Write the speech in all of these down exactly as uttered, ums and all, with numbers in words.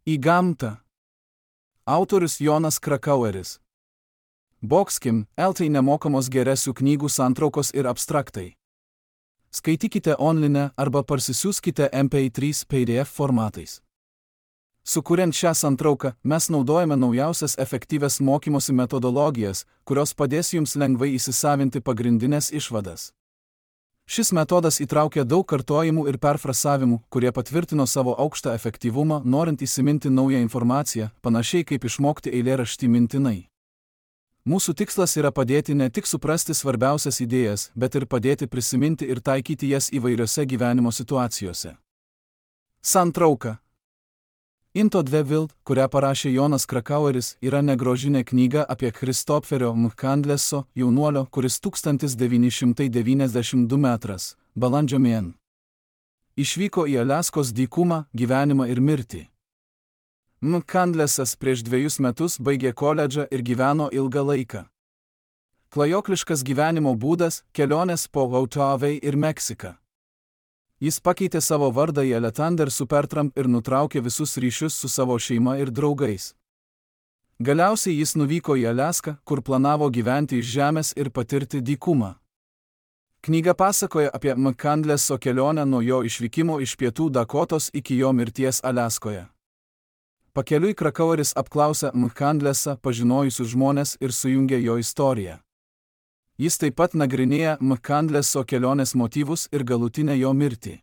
Į gamtą. Autorius Jonas Krakaueris. Boxkim, eltai nemokamos geresių knygų santraukos ir abstraktai. Skaitykite online arba parsisiųskite M P trys P D F formatais. Sukuriant šią santrauką, mes naudojame naujausias efektyvias mokymosi metodologijas, kurios padės jums lengvai įsisavinti pagrindinės išvadas. Šis metodas įtraukia daug kartojimų ir perfrasavimų, kurie patvirtino savo aukštą efektyvumą, norint įsiminti naują informaciją, panašiai kaip išmokti eilėraštį mintinai. Mūsų tikslas yra padėti ne tik suprasti svarbiausias idėjas, bet ir padėti prisiminti ir taikyti jas įvairiose gyvenimo situacijose. Santrauka. Into dve Wild, kurią parašė Jonas Krakaueris, yra negrožinė knyga apie Christopherio McCandles'o jaunuolio, kuris tūkstantis devyni šimtai devyniasdešimt du metras, balandžio mėn. Išvyko į Aliaskos dykumą, gyvenimą ir mirtį. McCandles'as prieš dviejus metus baigė koledžą ir gyveno ilgą laiką. Klajokliškas gyvenimo būdas, kelionės po Hawaii ir Meksiką. Jis pakeitė savo vardą į Alexander Supertramp ir nutraukė visus ryšius su savo šeima ir draugais. Galiausiai jis nuvyko į Aliaską, kur planavo gyventi iš žemės ir patirti dykumą. Knyga pasakoja apie McCandles'o kelionę nuo jo išvykimo iš pietų Dakotos iki jo mirties Aliaskoje. Pakeliui Krakaueris apklausė McCandles'ą pažinojusius žmones ir sujungė jo istoriją. Jis taip pat nagrinėja McCandles'o kelionės motyvus ir galutinę jo mirtį.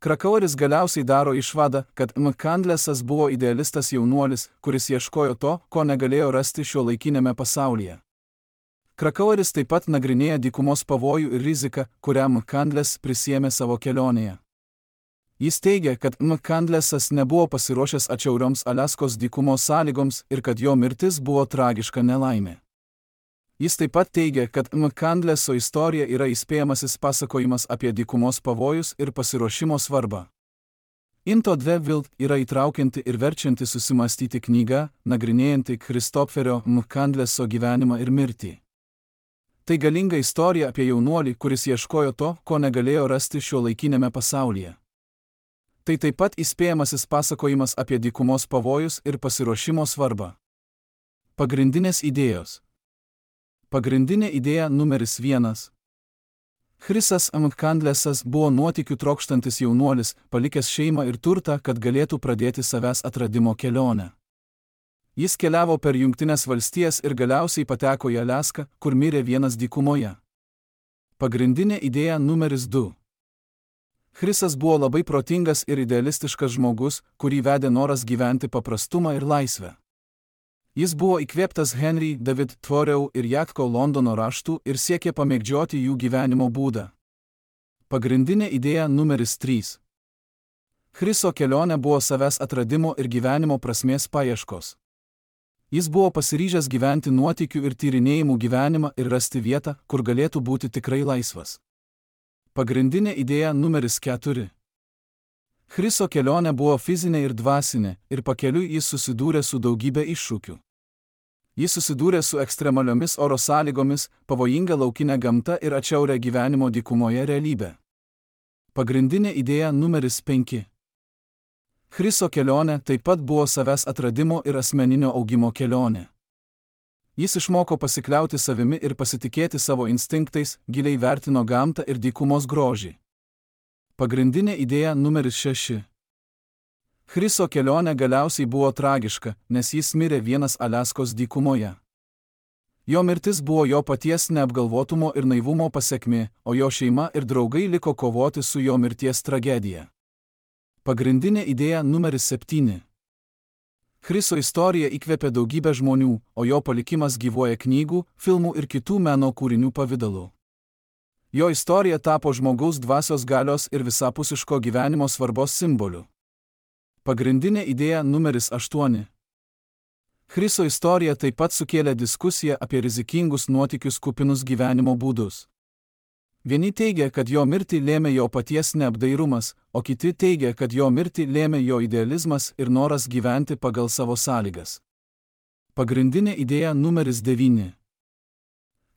Krakaueris galiausiai daro išvadą, kad McCandles'as buvo idealistas jaunuolis, kuris ieškojo to, ko negalėjo rasti šiuolaikiniame pasaulyje. Krakaueris taip pat nagrinėja dykumos pavojų ir riziką, kurią McCandless prisiėmė savo kelionėje. Jis teigia, kad McCandles'as nebuvo pasiruošęs atšiaurioms Aliaskos dykumos sąlygoms ir kad jo mirtis buvo tragiška nelaimė. Jis taip pat teigia, kad McCandles'o istorija yra įspėjamasis pasakojimas apie dykumos pavojus ir pasiruošimo svarbą. Into dve Wild yra įtraukianti ir verčianti susimastyti knyga, nagrinėjanti Christopherio McCandles'o gyvenimą ir mirtį. Tai galinga istorija apie jaunuolį, kuris ieškojo to, ko negalėjo rasti šiuolaikinėme pasaulyje. Tai taip pat įspėjamasis pasakojimas apie dykumos pavojus ir pasiruošimo svarbą. Pagrindinės idėjos. Pagrindinė idėja numeris vienas. Chrisas McCandles'as buvo nuotykių trokštantis jaunuolis, palikęs šeimą ir turtą, kad galėtų pradėti savęs atradimo kelionę. Jis keliavo per Jungtines valstijas ir galiausiai pateko į Aliaską, kur mirė vienas dykumoje. Pagrindinė idėja numeris du. Chrisas buvo labai protingas ir idealistiškas žmogus, kurį vedė noras gyventi paprastumą ir laisvę. Jis buvo įkvėptas Henry David Thoreau ir Jacko Londono raštų ir siekė pamėgdžioti jų gyvenimo būdą. Pagrindinė idėja numeris trys. Chriso kelionė buvo savęs atradimo ir gyvenimo prasmės paieškos. Jis buvo pasiryžęs gyventi nuotykių ir tyrinėjimų gyvenimą ir rasti vietą, kur galėtų būti tikrai laisvas. Pagrindinė idėja numeris keturi. Chriso kelionė buvo fizinė ir dvasinė, ir pakeliui jis susidūrė su daugybė iššūkių. Jis susidūrė su ekstremaliomis oro sąlygomis, pavojinga laukinė gamta ir atšiaurią gyvenimo dykumoje realybę. Pagrindinė idėja numeris penki. Chriso kelionė taip pat buvo savęs atradimo ir asmeninio augimo kelionė. Jis išmoko pasikliauti savimi ir pasitikėti savo instinktais, giliai vertino gamtą ir dykumos grožį. Pagrindinė idėja numeris šeši. Chriso kelionė galiausiai buvo tragiška, nes jis mirė vienas Aliaskos dykumoje. Jo mirtis buvo jo paties neapgalvotumo ir naivumo pasekmė, o jo šeima ir draugai liko kovoti su jo mirties tragedija. Pagrindinė idėja numeris septyni. Chriso istorija įkvėpė daugybę žmonių, o jo palikimas gyvuoja knygų, filmų ir kitų meno kūrinių pavidalu. Jo istorija tapo žmogaus dvasios galios ir visapusiško gyvenimo svarbos simboliu. Pagrindinė idėja numeris aštuoni. Chriso istorija taip pat sukėlė diskusiją apie rizikingus nuotykius kupinus gyvenimo būdus. Vieni teigia, kad jo mirtį lėmė jo paties neapdairumas, o kiti teigia, kad jo mirtį lėmė jo idealizmas ir noras gyventi pagal savo sąlygas. Pagrindinė idėja numeris devyni.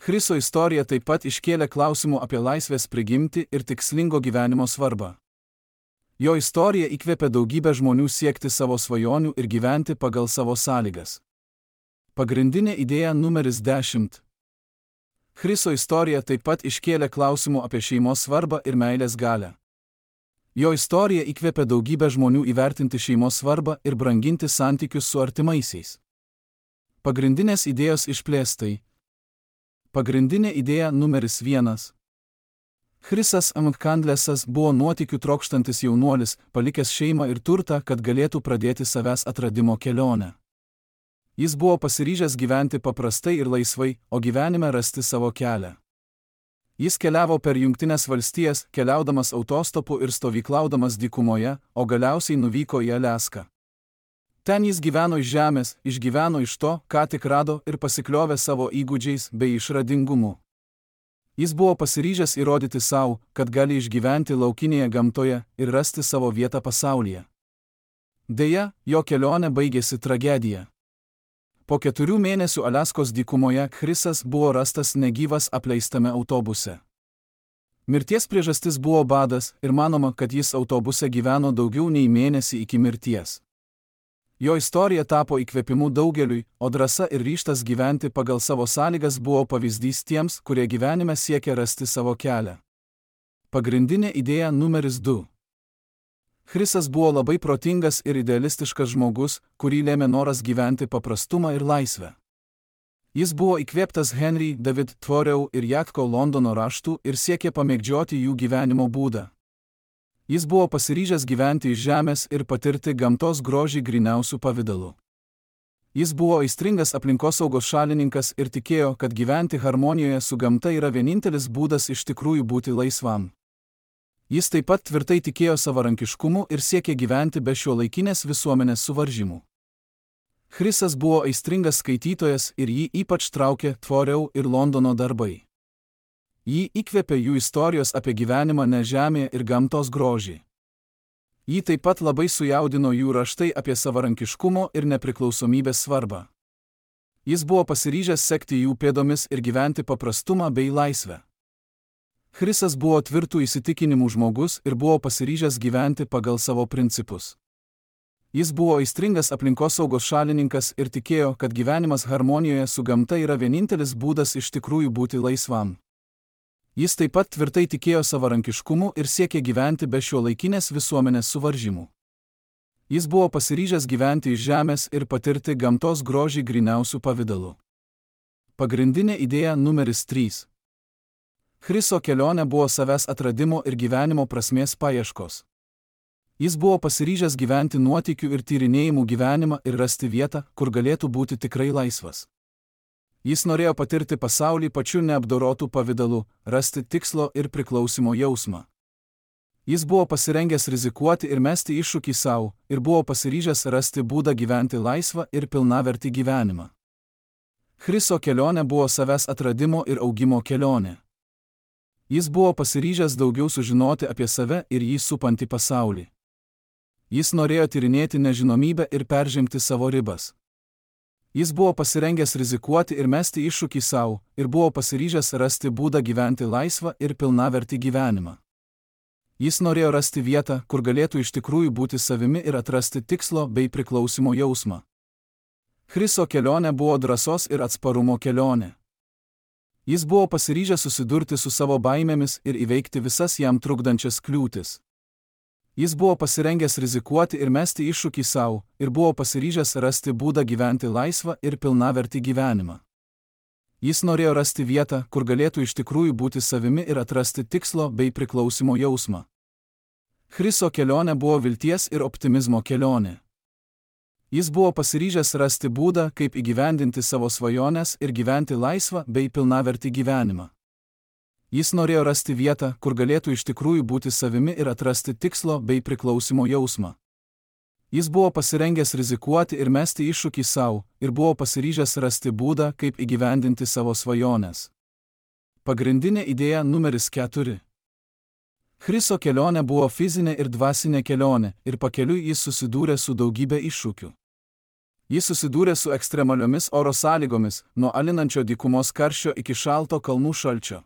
Chriso istorija taip pat iškėlė klausimų apie laisvės prigimtį ir tikslingo gyvenimo svarbą. Jo istorija įkvėpė daugybę žmonių siekti savo svajonių ir gyventi pagal savo sąlygas. Pagrindinė idėja numeris dešimt. Chriso istorija taip pat iškėlė klausimų apie šeimos svarbą ir meilės galią. Jo istorija įkvėpė daugybę žmonių įvertinti šeimos svarbą ir branginti santykius su artimaisiais. Pagrindinės idėjos išplėstai. Pagrindinė idėja numeris vienas. Chrisas Amkandlesas buvo nuotykių trokštantis jaunuolis, palikęs šeimą ir turtą, kad galėtų pradėti savęs atradimo kelionę. Jis buvo pasiryžęs gyventi paprastai ir laisvai, o gyvenime rasti savo kelią. Jis keliavo per Jungtines valstijas, keliaudamas autostopu ir stovyklaudamas dykumoje, o galiausiai nuvyko į Aliaską. Ten jis gyveno iš žemės, išgyveno iš to, ką tik rado ir pasikliovė savo įgūdžiais bei išradingumu. Jis buvo pasiryžęs įrodyti savo, kad gali išgyventi laukinėje gamtoje ir rasti savo vietą pasaulyje. Deja, jo kelionė baigėsi tragedija. Po keturių mėnesių Aliaskos dykumoje Chrisas buvo rastas negyvas apleistame autobuse. Mirties priežastis buvo badas ir manoma, kad jis autobuse gyveno daugiau nei mėnesį iki mirties. Jo istorija tapo įkvėpimu daugeliui, o drąsa ir ryžtas gyventi pagal savo sąlygas buvo pavyzdys tiems, kurie gyvenime siekia rasti savo kelią. Pagrindinė idėja numeris du. Chrisas buvo labai protingas ir idealistiškas žmogus, kurį lėmė noras gyventi paprastumą ir laisvę. Jis buvo įkvėptas Henry David Thoreau ir Jacko Londono raštų ir siekė pamėgdžioti jų gyvenimo būdą. Jis buvo pasiryžęs gyventi iš žemės ir patirti gamtos grožį gryniausių pavidalų. Jis buvo aistringas aplinkosaugos šalininkas ir tikėjo, kad gyventi harmonijoje su gamta yra vienintelis būdas iš tikrųjų būti laisvam. Jis taip pat tvirtai tikėjo savarankiškumu ir siekė gyventi be šiuolaikinės visuomenės suvaržymų. Chrisas buvo aistringas skaitytojas ir jį ypač traukė Thoreau ir Londono darbai. Jį įkvėpė jų istorijos apie gyvenimą ne žemėje ir gamtos grožį. Jį taip pat labai sujaudino jų raštai apie savarankiškumo ir nepriklausomybės svarbą. Jis buvo pasiryžęs sekti jų pėdomis ir gyventi paprastumą bei laisvę. Chrisas buvo tvirtų įsitikinimų žmogus ir buvo pasiryžęs gyventi pagal savo principus. Jis buvo aistringas aplinkosaugos šalininkas ir tikėjo, kad gyvenimas harmonijoje su gamta yra vienintelis būdas iš tikrųjų būti laisvam. Jis taip pat tvirtai tikėjo savarankiškumu ir siekė gyventi be šiuolaikinės visuomenės suvaržymų. Jis buvo pasiryžęs gyventi iš žemės ir patirti gamtos grožį gryniausių pavidalų. Pagrindinė idėja numeris trys. Chriso kelionė buvo savęs atradimo ir gyvenimo prasmės paieškos. Jis buvo pasiryžęs gyventi nuotykių ir tyrinėjimų gyvenimą ir rasti vietą, kur galėtų būti tikrai laisvas. Jis norėjo patirti pasaulį pačiu neapdorotų pavidalu, rasti tikslo ir priklausimo jausmą. Jis buvo pasirengęs rizikuoti ir mesti iššūkį savo, ir buvo pasiryžęs rasti būdą gyventi laisvą ir pilnavertį gyvenimą. Chriso kelionė buvo savęs atradimo ir augimo kelionė. Jis buvo pasiryžęs daugiau sužinoti apie save ir jį supantį pasaulį. Jis norėjo tyrinėti nežinomybę ir peržengti savo ribas. Jis buvo pasirengęs rizikuoti ir mesti iššūkį savo, ir buvo pasiryžęs rasti būdą gyventi laisvą ir pilnavertį gyvenimą. Jis norėjo rasti vietą, kur galėtų iš tikrųjų būti savimi ir atrasti tikslo bei priklausimo jausmą. Chriso kelionė buvo drąsos ir atsparumo kelionė. Jis buvo pasiryžęs susidurti su savo baimėmis ir įveikti visas jam trukdančias kliūtis. Jis buvo pasirengęs rizikuoti ir mesti iššūkį savo, ir buvo pasiryžęs rasti būdą gyventi laisvą ir pilnavertį gyvenimą. Jis norėjo rasti vietą, kur galėtų iš tikrųjų būti savimi ir atrasti tikslo bei priklausimo jausmą. Chriso kelionė buvo vilties ir optimizmo kelionė. Jis buvo pasiryžęs rasti būdą, kaip įgyvendinti savo svajones ir gyventi laisvą bei pilnavertį gyvenimą. Jis norėjo rasti vietą, kur galėtų iš tikrųjų būti savimi ir atrasti tikslo bei priklausimo jausmą. Jis buvo pasirengęs rizikuoti ir mesti iššūkį savo, ir buvo pasiryžęs rasti būdą, kaip įgyvendinti savo svajones. Pagrindinė idėja numeris keturi. Chriso kelionė buvo fizinė ir dvasinė kelionė, ir pakeliui jis susidūrė su daugybė iššūkių. Jis susidūrė su ekstremaliomis oro sąlygomis, nuo alinančio dykumos karščio iki šalto kalnų šalčio.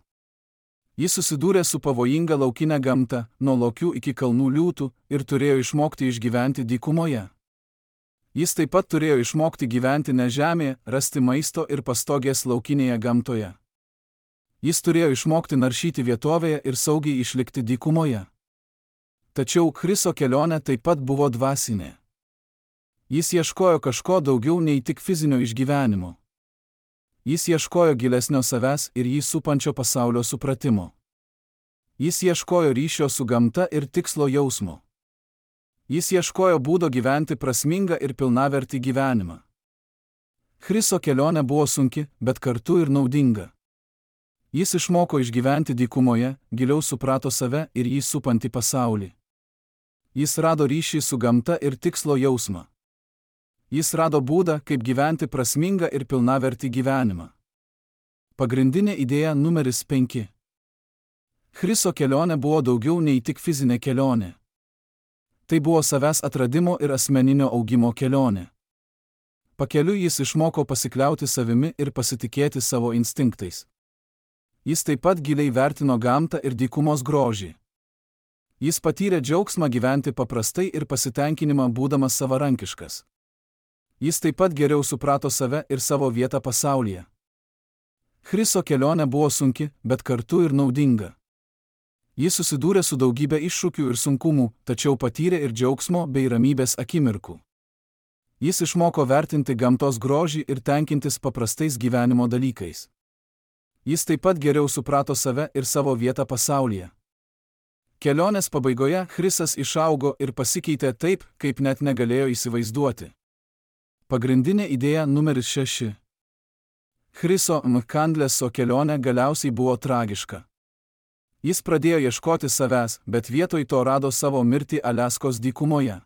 Jis susidūrė su pavojinga laukinė gamta, nuo lokių iki kalnų liūtų, ir turėjo išmokti išgyventi dykumoje. Jis taip pat turėjo išmokti gyventi ne žemėje, rasti maisto ir pastogės laukinėje gamtoje. Jis turėjo išmokti naršyti vietovėje ir saugiai išlikti dykumoje. Tačiau Chriso kelionė taip pat buvo dvasinė. Jis ieškojo kažko daugiau nei tik fizinio išgyvenimo. Jis ieškojo gilesnio savęs ir jį supančio pasaulio supratimo. Jis ieškojo ryšio su gamta ir tikslo jausmo. Jis ieškojo būdo gyventi prasmingą ir pilnavertį gyvenimą. Chriso kelionė buvo sunki, bet kartu ir naudinga. Jis išmoko išgyventi dykumoje, giliau suprato save ir jį supantį pasaulį. Jis rado ryšį su gamta ir tikslo jausmą. Jis rado būdą, kaip gyventi prasmingą ir pilnavertį gyvenimą. Pagrindinė idėja numeris penki. Chriso kelionė buvo daugiau nei tik fizinė kelionė. Tai buvo savęs atradimo ir asmeninio augimo kelionė. Pakeliui jis išmoko pasikliauti savimi ir pasitikėti savo instinktais. Jis taip pat giliai vertino gamtą ir dykumos grožį. Jis patyrė džiaugsmą gyventi paprastai ir pasitenkinimą būdamas savarankiškas. Jis taip pat geriau suprato save ir savo vietą pasaulyje. Chriso kelionė buvo sunki, bet kartu ir naudinga. Jis susidūrė su daugybė iššūkių ir sunkumų, tačiau patyrė ir džiaugsmo bei ramybės akimirkų. Jis išmoko vertinti gamtos grožį ir tenkintis paprastais gyvenimo dalykais. Jis taip pat geriau suprato save ir savo vietą pasaulyje. Kelionės pabaigoje Chrisas išaugo ir pasikeitė taip, kaip net negalėjo įsivaizduoti. Pagrindinė idėja numeris šeši. Chriso Mkandleso kelionė galiausiai buvo tragiška. Jis pradėjo ieškoti savęs, bet vietoj to rado savo mirtį Aliaskos dykumoje.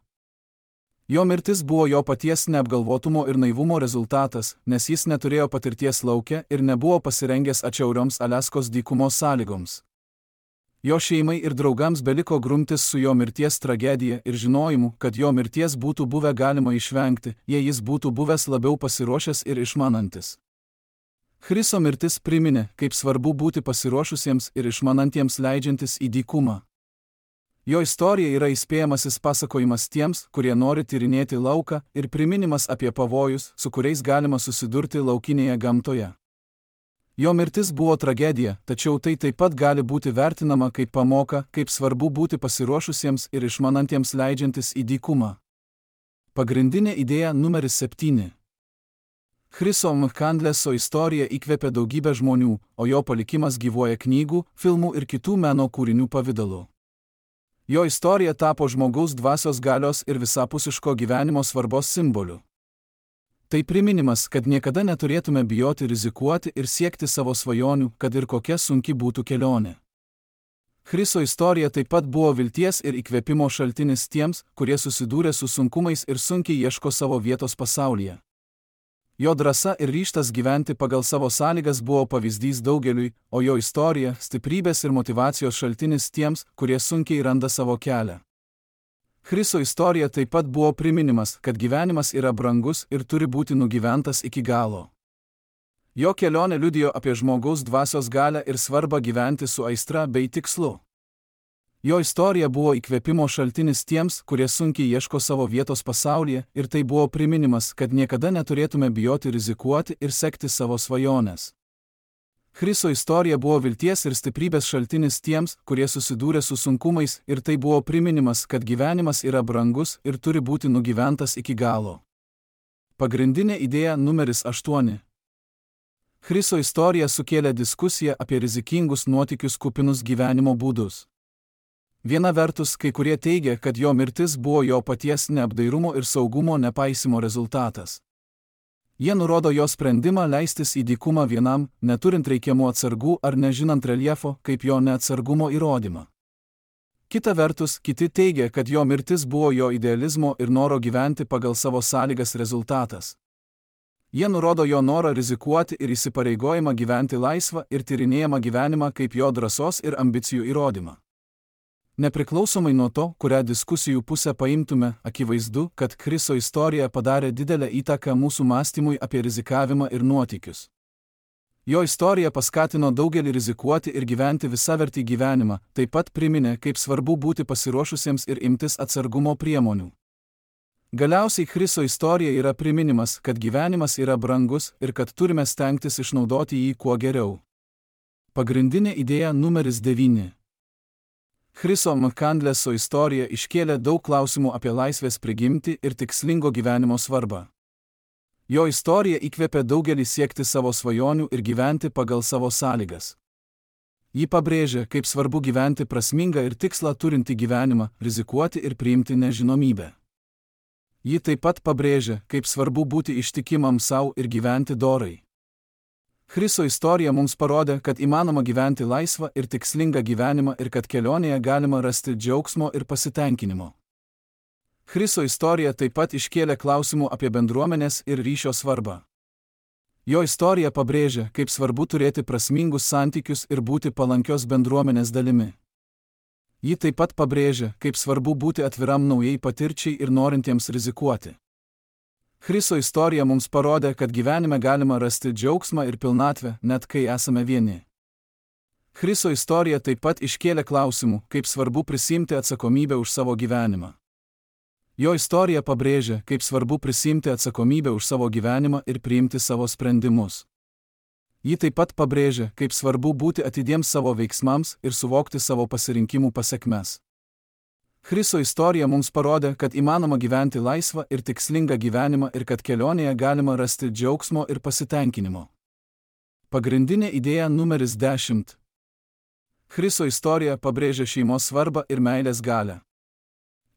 Jo mirtis buvo jo paties neapgalvotumo ir naivumo rezultatas, nes jis neturėjo patirties lauke ir nebuvo pasirengęs atšiaurioms Aliaskos dykumos sąlygoms. Jo šeimai ir draugams beliko grumtis su jo mirties tragedija ir žinojimu, kad jo mirties būtų buvę galima išvengti, jei jis būtų buvęs labiau pasiruošęs ir išmanantis. Chriso mirtis priminė, kaip svarbu būti pasiruošusiems ir išmanantiems leidžiantis į dykumą. Jo istorija yra įspėjamasis pasakojimas tiems, kurie nori tyrinėti lauką, ir priminimas apie pavojus, su kuriais galima susidurti laukinėje gamtoje. Jo mirtis buvo tragedija, tačiau tai taip pat gali būti vertinama kaip pamoka, kaip svarbu būti pasiruošusiems ir išmanantiems leidžiantis į dykumą. Pagrindinė idėja numeris septyni. Chriso Mkandleso istorija įkvėpė daugybę žmonių, o jo palikimas gyvuoja knygų, filmų ir kitų meno kūrinių pavidalu. Jo istorija tapo žmogaus dvasios galios ir visapusiško gyvenimo svarbos simboliu. Tai priminimas, kad niekada neturėtume bijoti rizikuoti ir siekti savo svajonių, kad ir kokia sunki būtų kelionė. Chriso istorija taip pat buvo vilties ir įkvėpimo šaltinis tiems, kurie susidūrė su sunkumais ir sunkiai ieško savo vietos pasaulyje. Jo drąsa ir ryžtas gyventi pagal savo sąlygas buvo pavyzdys daugeliui, o jo istorija – stiprybės ir motyvacijos šaltinis tiems, kurie sunkiai randa savo kelią. Chriso istorija taip pat buvo priminimas, kad gyvenimas yra brangus ir turi būti nugyventas iki galo. Jo kelionė liudijo apie žmogaus dvasios galią ir svarbą gyventi su aistra bei tikslu. Jo istorija buvo įkvėpimo šaltinis tiems, kurie sunkiai ieško savo vietos pasaulyje, ir tai buvo priminimas, kad niekada neturėtume bijoti rizikuoti ir sekti savo svajones. Chriso istorija buvo vilties ir stiprybės šaltinis tiems, kurie susidūrė su sunkumais, ir tai buvo priminimas, kad gyvenimas yra brangus ir turi būti nugyventas iki galo. Pagrindinė idėja numeris aštuoni. Chriso istorija sukėlė diskusiją apie rizikingus nuotykius kupinus gyvenimo būdus. Viena vertus, kai kurie teigia, kad jo mirtis buvo jo paties neapdairumo ir saugumo nepaisimo rezultatas. Jie nurodo jo sprendimą leistis į dykumą vienam, neturint reikiamų atsargų ar nežinant reljefo, kaip jo neatsargumo įrodymą. Kita vertus, kiti teigia, kad jo mirtis buvo jo idealizmo ir noro gyventi pagal savo sąlygas rezultatas. Jie nurodo jo norą rizikuoti ir įsipareigojimą gyventi laisvą ir tyrinėjamą gyvenimą kaip jo drąsos ir ambicijų įrodymą. Nepriklausomai nuo to, kurią diskusijų pusę paimtume, akivaizdu, kad Chriso istorija padarė didelę įtaką mūsų mąstymui apie rizikavimą ir nuotykius. Jo istorija paskatino daugelį rizikuoti ir gyventi visavertį gyvenimą, taip pat priminė, kaip svarbu būti pasiruošusiems ir imtis atsargumo priemonių. Galiausiai Chriso istorija yra priminimas, kad gyvenimas yra brangus ir kad turime stengtis išnaudoti jį kuo geriau. Pagrindinė idėja numeris devyni. Chriso Mkandleso istorija iškėlė daug klausimų apie laisvės prigimtį ir tikslingo gyvenimo svarbą. Jo istorija įkvėpė daugelį siekti savo svajonių ir gyventi pagal savo sąlygas. Ji pabrėžia, kaip svarbu gyventi prasmingą ir tikslą turintį gyvenimą, rizikuoti ir priimti nežinomybę. Ji taip pat pabrėžia, kaip svarbu būti ištikimam savo ir gyventi dorai. Chriso istorija mums parodė, kad įmanoma gyventi laisvą ir tikslingą gyvenimą ir kad kelionėje galima rasti džiaugsmo ir pasitenkinimo. Chriso istorija taip pat iškėlė klausimų apie bendruomenės ir ryšio svarbą. Jo istorija pabrėžia, kaip svarbu turėti prasmingus santykius ir būti palankios bendruomenės dalimi. Ji taip pat pabrėžia, kaip svarbu būti atviram naujai patirčiai ir norintiems rizikuoti. Chriso istorija mums parodė, kad gyvenime galima rasti džiaugsmą ir pilnatvę, net kai esame vieni. Chriso istorija taip pat iškėlė klausimų, kaip svarbu prisiimti atsakomybę už savo gyvenimą. Jo istorija pabrėžia, kaip svarbu prisiimti atsakomybę už savo gyvenimą ir priimti savo sprendimus. Ji taip pat pabrėžia, kaip svarbu būti atidiems savo veiksmams ir suvokti savo pasirinkimų pasekmes. Chriso istorija mums parodė, kad įmanoma gyventi laisvą ir tikslingą gyvenimą ir kad kelionėje galima rasti džiaugsmo ir pasitenkinimo. Pagrindinė idėja numeris dešimt. Chriso istorija pabrėžia šeimos svarbą ir meilės galią.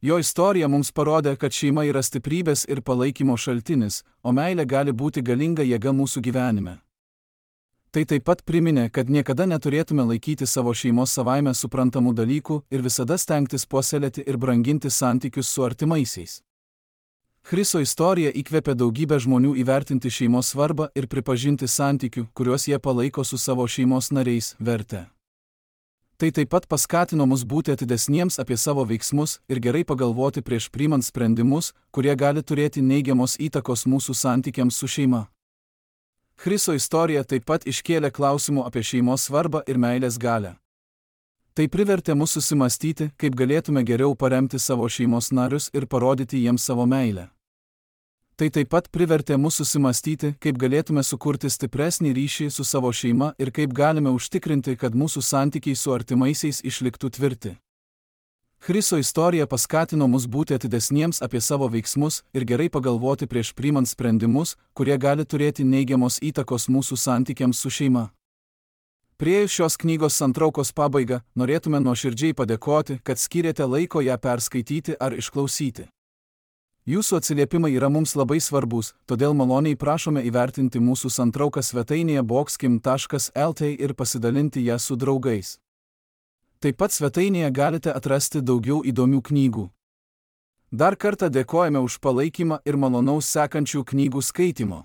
Jo istorija mums parodė, kad šeima yra stiprybės ir palaikymo šaltinis, o meilė gali būti galinga jėga mūsų gyvenime. Tai taip pat priminė, kad niekada neturėtume laikyti savo šeimos savaime suprantamų dalykų ir visada stengtis puoselėti ir branginti santykius su artimaisiais. Chriso istorija įkvėpė daugybę žmonių įvertinti šeimos svarbą ir pripažinti santykių, kuriuos jie palaiko su savo šeimos nariais, vertę. Tai taip pat paskatino mus būti atidesniems apie savo veiksmus ir gerai pagalvoti prieš priimant sprendimus, kurie gali turėti neigiamos įtakos mūsų santykiams su šeima. Chriso istorija taip pat iškėlė klausimų apie šeimos svarbą ir meilės galią. Tai privertė mus susimastyti, kaip galėtume geriau paremti savo šeimos narius ir parodyti jiems savo meilę. Tai taip pat privertė mus susimastyti, kaip galėtume sukurti stipresnį ryšį su savo šeima ir kaip galime užtikrinti, kad mūsų santykiai su artimaisiais išliktų tvirti. Chriso istorija paskatino mus būti atidesniems apie savo veiksmus ir gerai pagalvoti prieš priimant sprendimus, kurie gali turėti neigiamos įtakos mūsų santykiams su šeima. Priėjus šios knygos santraukos pabaigą, norėtume nuoširdžiai padėkoti, kad skyrėte laiko ją perskaityti ar išklausyti. Jūsų atsiliepimai yra mums labai svarbus, todėl maloniai prašome įvertinti mūsų santrauką svetainėje boxkim taškas lt ir pasidalinti ją su draugais. Taip pat svetainėje galite atrasti daugiau įdomių knygų. Dar kartą dėkojame už palaikymą ir malonaus sekančių knygų skaitimo.